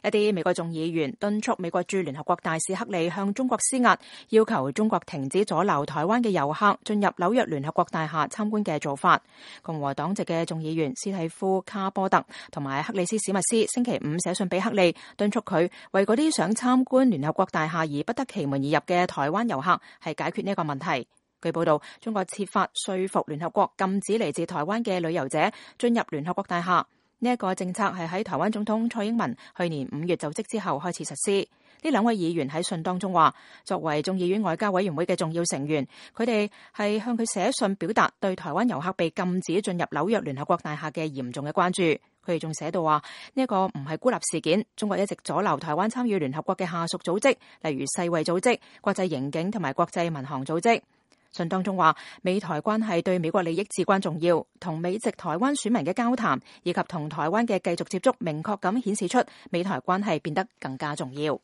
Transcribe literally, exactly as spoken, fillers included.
一啲美國眾議員敦促美國駐聯合國大使克里向中國施壓，要求中國停止阻撓台灣嘅遊客進入紐約聯合國大廈參觀嘅做法。共和黨籍嘅眾議員斯蒂夫卡波特同埋克里斯史密斯星期五寫信俾克里，敦促佢為嗰啲想參觀聯合國大廈而不得其門而入嘅台灣遊客係解決呢個問題。據報道，中國設法說服聯合國禁止嚟自台灣嘅旅遊者進入聯合國大廈。呢一個政策係喺台灣總統蔡英文去年五月就職之後開始實施。呢兩位議員喺信當中話，作為眾議院外交委員會嘅重要成員，佢哋係向佢寫信表達對台灣遊客被禁止進入紐約聯合國大廈嘅嚴重嘅關注。佢哋仲寫到話，呢一個唔係孤立事件，中國一直阻撓台灣參與聯合國嘅下屬組織，例如世衛組織、國際刑警同埋國際民航組織。信當中話，美台關係對美國利益至關重要，同美籍台灣選民嘅交談以及同台灣嘅繼續接觸，明確咁顯示出美台關係變得更加重要。